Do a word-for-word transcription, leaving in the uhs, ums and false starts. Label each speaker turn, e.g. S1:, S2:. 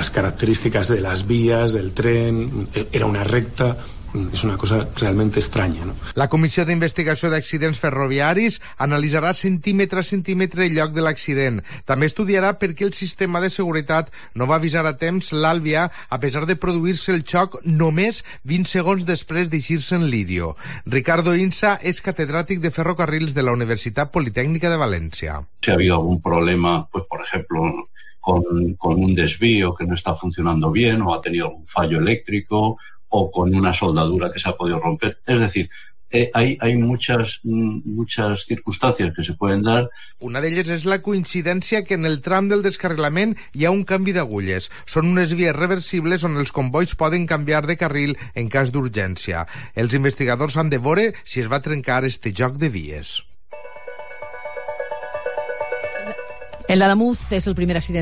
S1: Las características de las vías, del tren, era una recta. És una cosa realment estranya, no?
S2: La Comissió d'Investigació d'Accidents Ferroviaris analitzarà centímetre a centímetre el lloc de l'accident. També estudiarà per què el sistema de seguretat no va avisar a temps l'Àlvia a pesar de produir-se el xoc només vint segons després d'eixir-se en Lirio. Ricardo Insa és catedràtic de ferrocarrils de la Universitat Politécnica de València.
S3: Si ha habido algún problema, pues por ejemplo, con, con un desvío que no está funcionando bien o ha tenido algún fallo eléctrico o con una soldadura que se ha podido romper. Es decir, eh, hay, hay muchas, muchas circunstancias que se pueden dar.
S2: Una d'elles és la coincidència que en el tram del descarrilament hi ha un canvi d'agulles. Són unes vies reversibles on els convois poden canviar de carril en cas d'urgència. Els investigadors han de veure si es va trencar este joc de vies.
S4: En l'Ademuz és el primer accident